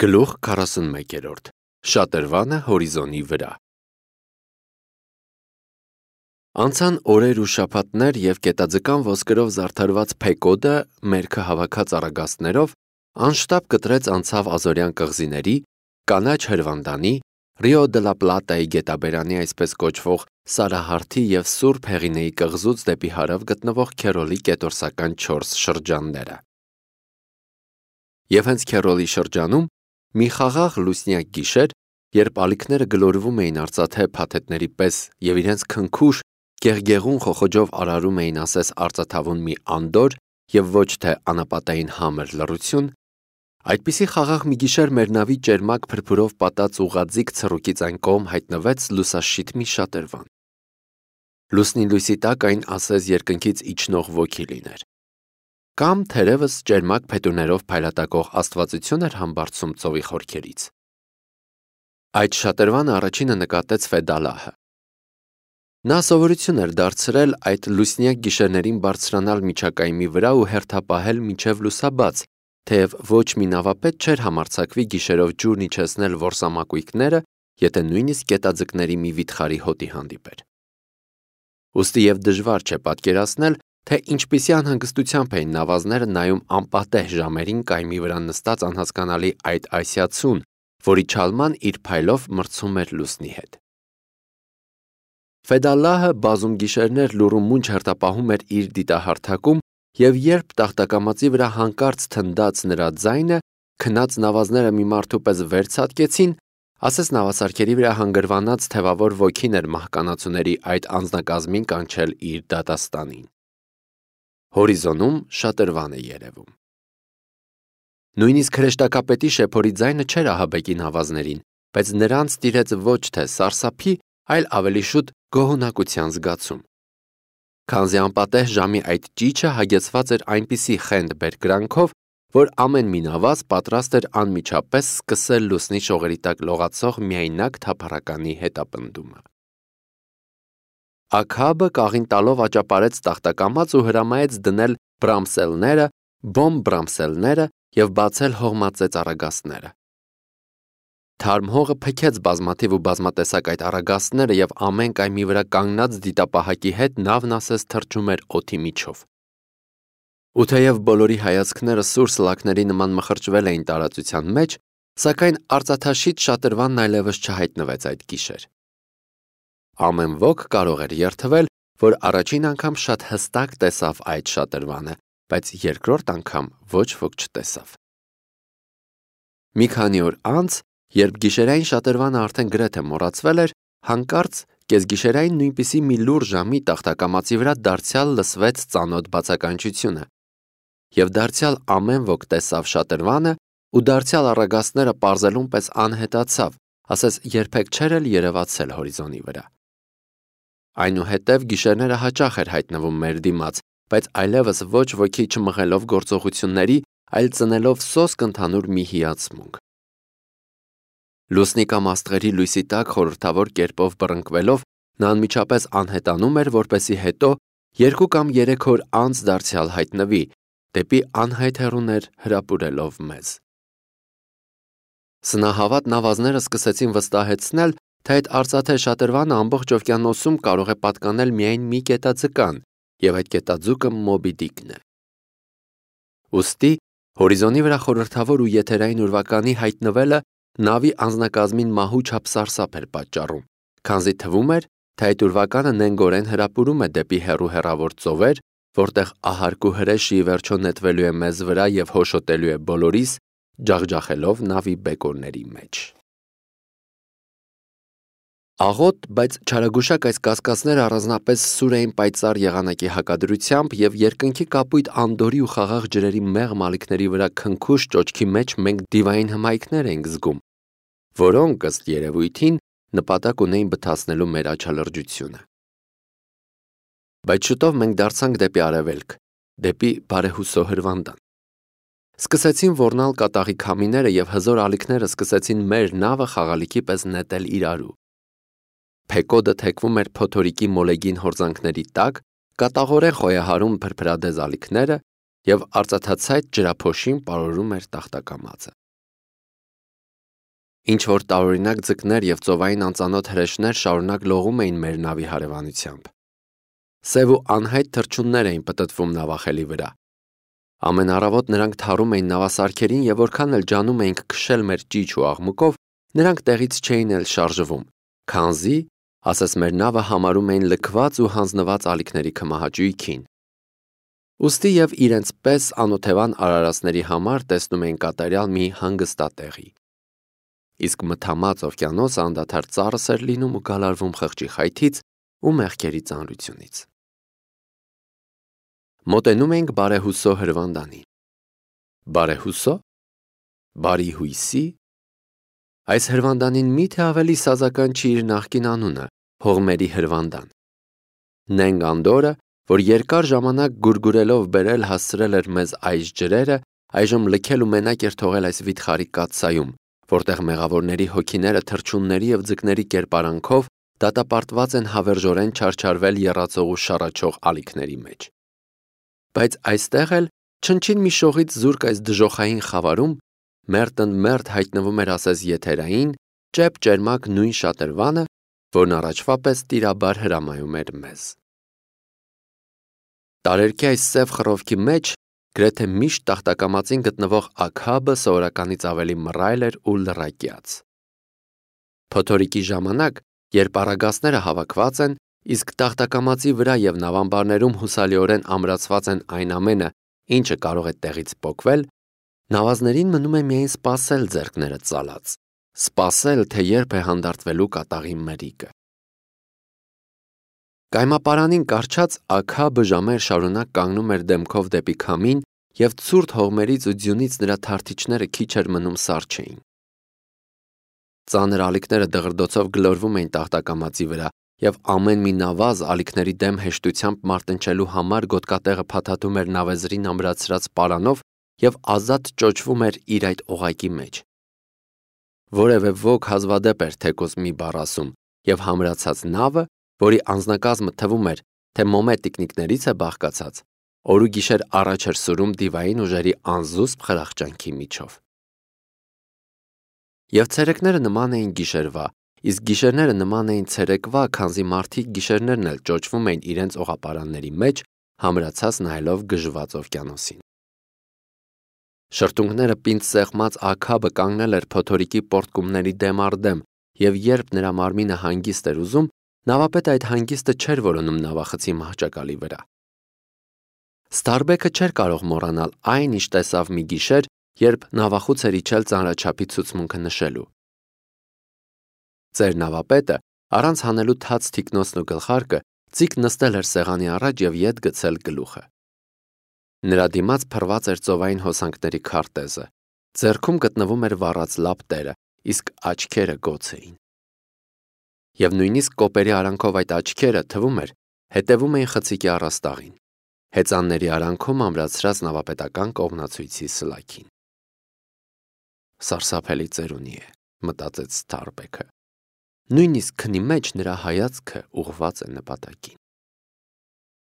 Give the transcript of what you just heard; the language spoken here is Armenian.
Գլուխ 41 Շատրվանը հորիզոնի վրա Անցան օրեր ու շաբաթներ և գետաձկան ոսկրով զարդարված Փեկոդը մերքը հավաքած առագաստներով անշտապ կտրեց անցավ Ազորյան կղզիների, կանաչ հրվանդանի, Ռիո դե լա Պլատայի գետաբերանի այսպես կոչվող Սարահարթի և Սուրբ Հեղինեի կղզուց դեպի հարավ գտնվող Քերոլի կետորսական 4 շրջանները։ Եվ հենց Քերոլի շրջանում մի խաղաղ լուսնյակ գիշեր, երբ ալիքները գլորվում էին արծաթե փաթեթների պես և իրենց քնքուշ, գեղգեղուն խոխոջով արարում էին ասես արծաթավուն մի անդորր և ոչ թե անապատային համր լռություն, այդպիսի խաղաղ մի գիշեր մեր նավի ճերմակ փրփուրով պատած ուղղաձիգ ցռուկից այն կողմ հայտնվեց լուսաշիտ մի շատրվան։ Լուսնի լույսի տակ այն ասես երկնքից իջնող ոգի լիներ։ Կամ թերևս ճերմակ փետուրներով փայլատակող աստվածություն էր համբարձում ծովի խորքերից։ Այդ շատրվանը առաջինը նկատեց Ֆեդալահը։ Նա սովորություն էր դարձրել այդ լուսնյակ գիշերներին բարձրանալ միջակայմի վրա ու հերթապահել մինչև լուսաբաց, թեև ոչ մի նավապետ չէր համարձակվի գիշերով ջուրն իջեցնել որսամակույկները, եթե նույնիսկ գետաձկների մի վիթխարի հոտի հանդիպեր։ Ուստի և դժվար չէ պատկերացնել, թե ինչպիսի անհանգստությամբ էին նավազները նայում անպատեհ ժամերին կայմի վրա նստած անհասկանալի այդ ասիացուն, որի չալման իր փայլով մրցում էր լուսնի հետ։ Ֆեդալահը բազում գիշերներ լուռ ու մունջ հերթապահում էր իր դիտահարթակում, և երբ տախտակամածի վրա հանկարծ թնդաց նրա ձայնը, քնած նավազները մի մարդու պես վեր ցատկեցին, ասես նավասարքերի վրա հանգրվանած թևավոր ոգին էր մահկանացուների այդ անձնակազմին կանչել իր դատաստանին։ Հորիզոնում շատրվան է երևում։ Նույնիսկ հրեշտակապետի շեփորի ձայնը չէր ահաբեկի նավազներին, բայց նրանց տիրեց ոչ թե սարսափի, այլ ավելի շուտ գոհունակության զգացում։ Քանզի անպատեհ ժամի այդ ճիչը հագեցված էր այնպիսի խենթ բերկրանքով, որ ամեն մի նավազ պատրաստ էր անմիջապես սկսել լուսնի շողերի տակ լողացող միայնակ թափառականի հետապնդումը։ Աքաբը կաղին տալով աճապարեց տախտակամած ու հրամայեց դնել բրամսելները, բոմբ բրամսելները և բացել հողմածեց առագաստները։ Թարմ հողը փքեց բազմաթիվ ու բազմատեսակ այդ առագաստները և ամեն կայմի վրա կանգնած դիտապահակի հետ նավն ասես թռչում էր օդի միջով։ Ու թեև բոլորի հայացքները սուր սլաքների նման մխրճվել էին տարածության մեջ, սակայն արծաթաշիտ շատրվանն այլևս չհայտնվեց այդ գիշեր։ Ամեն ոք կարող էր երդվել, որ առաջին անգամ շատ հստակ տեսավ այդ շատրվանը, բայց երկրորդ անգամ ոչ ոք չտեսավ։ Մի քանի օր անց, երբ գիշերային շատրվանը արդեն գրեթե մոռացվել էր, հանկարծ կեսգիշերային նույնպիսի մի լուռ ժամի տախտակամածի վրա դարձյալ լսվեց ծանոթ բացականչությունը, և դարձյալ ամեն ոք տեսավ շատրվանը ու դարձյալ առագաստները պարզելուն պես անհետացավ, ասես երբեք չէր էլ երևացել հորիզոնի վրա։ Այնուհետև գիշերները հաճախ էր հայտնվում մեր դիմաց, բայց այլևս ոչ ոքի չմղելով գործողությունների, այլ ծնելով սոսկ ընդհանուր մի հիացմունք։ Լուսնի կամ աստղերի լույսի տակ խորհրդավոր կերպով բռնկվելով նա անմիջապես անհետանում էր, որպեսզի հետո 2 կամ 3 օր անց դարձյալ հայտնվի, դեպի անհայտ հեռուներ հրապուրելով մեզ։ Սնահավատ նավազները սկսեցին վստահեցնել, թե այդ արծաթե շատրվանը ամբողջ օվկիանոսում կարող է պատկանել միայն մի գետաձկան, և այդ գետաձուկը Մոբի Դիկն է։ Ուստի հորիզոնի վրա խորհրդավոր ու եթերային ուրվականի հայտնվելը նավի անձնակազմին մահու չափ սարսափ էր պատճառում, քանզի թվում էր, թե այդ ուրվականը նենգորեն հրապուրում է դեպի հեռու հեռավոր ծովեր, որտեղ ահարկ ու հրեշը ի վերջո նետվելու է մեզ վրա և հոշոտելու է բոլորիս, ջախջախելով նավի բեկորների մեջ։ Աղոտ, բայց չարագուշակ այս կասկածները առանձնապես սուր էին պայծառ եղանակի հակադրությամբ, և երկնքի կապույտ անդորի ու խաղաղ ջրերի մեղմ ալիքների վրա քնքուշ ճոճքի մեջ մենք դիվային հմայքներ էինք զգում, որոնք, ըստ երևույթին, նպատակ ունեին բթացնելու մեր աչալրջությունը։ Բայց շուտով մենք դարձանք դեպի արևելք, դեպի բարեհուսո հրվանդան։ Սկսեցին ոռնալ կատաղի քամիները և հզոր ալիքները սկսեցին մեր նավը խաղալիքի պես նետել իրարու։ Փեկոդը թեքվում էր փոթորիկի մոլեգին հորձանքների տակ, կատաղորեն խոյահարում փրփրադեզ ալիքները և արծաթացայտ ջրափոշին պարուրում էր տախտակամածը։ Ինչ որ տարօրինակ ձկներ եւ ծովային անծանոթ հրեշներ շարունակ լողում էին մեր նավի հարևանությամբ։ Սև ու անհայտ թռչուններ էին պտտվում նավախելի վրա։ Ամեն առավոտ նրանք թարում էին նավասարքերին եւ որքան էլ ջանում էինք քշել մեր ճիչ ու աղմուկով, նրանք տեղից չէին էլ շարժվում, քանզի, ասես մեր նավը համարում էին լքված ու հանձնված ալիքների քմահաճույքին։ Ուստի եւ իրենց պես անօթևան արարածների համար տեսնում էին կատարյալ մի հանգստատեղի։ Իսկ մթամած օվկիանոսը անդադար ծառս էր լինում ու գալարվում խղճի խայթից ու մեղքերի ծանրությունից։ Մոտենում էինք բարեհուսո հրվանդանին։ Բարեհուսո? Բարի հույսի? Այս հրվանդանին միթե ավելի սազական չի իր նախկին անունը՝ հողմերի հրվանդան։ Նենք Անդորը, որ երկար ժամանակ գուրգուրելով բերել հասցրել էր մեզ այս ջրերը, այժմ լքել ու մենակ էր թողել այս վիթխարի կաթսայում, որտեղ մեղավորների հոգիները թռչունների եւ ձկների կերպարանքով դատապարտված են հավերժորեն չարչարվել եռացող ու շառաչող ալիքների մեջ։ Բայց այստեղ էլ չնչին մի շողից զուրկ այս դժոխային խավարում մերթ հայտնվում էր ասես եթերային, ճեպ-ճերմակ նույն շատրվանը, որն առաջվա պես տիրաբար հրամայում էր մեզ։ Տարերքի այս սև խռովքի մեջ գրեթե միշտ տախտակամածին գտնվող աքաբը սովորականից ավելի մռայլ էր ու լռակյաց։ Փոթորիկի ժամանակ, երբ առագաստները հավաքված են, իսկ տախտակամածի վրա եւ նավամբարներում հուսալիորեն ամրացված են այն ամենը, ինչը կարող է տեղից պոկվել, նավազներին մնում է միայն սպասել ձեռքները ծալած, սպասել, թե երբ է հանդարտվելու կատաղի մրիկը։ Կայմապարանին կառչած աքաբը ժամեր շարունակ կանգնում էր դեմքով դեպի քամին եւ ցուրտ հողմերից ու ձյունից նրա թարթիչները քիչ էր մնում սառ չէին։ Ծանր ալիքները դղրդոցով գլորվում էին տախտակամածի վրա եւ ամեն մի նավազ ալիքների դեմ հեշտությամբ մարտնչելու համար գոտկատեղը փաթաթում էր նավեզրին ամրացրած պարանով եւ ազատ ճոճվում էր իր այդ օղակի մեջ։ Որևէ ոք հազվադեպ էր թեկուզ մի բառ ասում եւ համրացած նավը, որի անձնակազմը թվում էր, թե մոմե տիկնիկներից է բաղկացած, օր ու գիշեր առաջ էր սուրում դիվային ուժերի անզուսպ խրախճանքի միջով։ Եվ ցերեկները նման էին գիշերվա, իսկ գիշերները նման էին ցերեկվա, քանզի մարդիկ գիշերներն էլ ճոճվում էին իրենց օղապարանների մեջ, համրացած նայելով գժված օվկիանոսին։ Շրթունքները պինդ սեղմած աքաբը կանգնել էր փոթորիկի պորտկումների դեմ առ դեմ, եւ երբ նրա մարմինը հանգիստ էր ուզում, նավապետը այդ հանգիստը չէր որոնում նավախցի մահճակալի վրա։ Ստարբեքը չէր կարող մոռանալ այն, ինչ տեսավ մի գիշեր, երբ նավախուց էր իջել ծանրաչափի ցուցմունքը նշելու։ Ծեր նավապետը, առանց հանելու թաց թիկնոցն ու գլխարկը, ծիկ նստել էր սեղանի առաջ եւ ետ գցել գլուխը։ Նրա դիմաց փռված էր ծովային հոսանքների քարտեզը, ձեռքում գտնվում էր վառած լապտերը, իսկ աչքերը գոց էին։ Եվ նույնիսկ կոպերի արանքով այդ աչքերը, թվում էր, հետևում էին խցիկի առաստաղին, հեծանների արանքում ամրացրած նավապետական կողմնացույցի սլաքին։ Սարսափելի ծերունի է, մտածեց Ստարբեքը։ Նույնիսկ քնի մեջ նրա հայացքը ուղղված է նպատակին։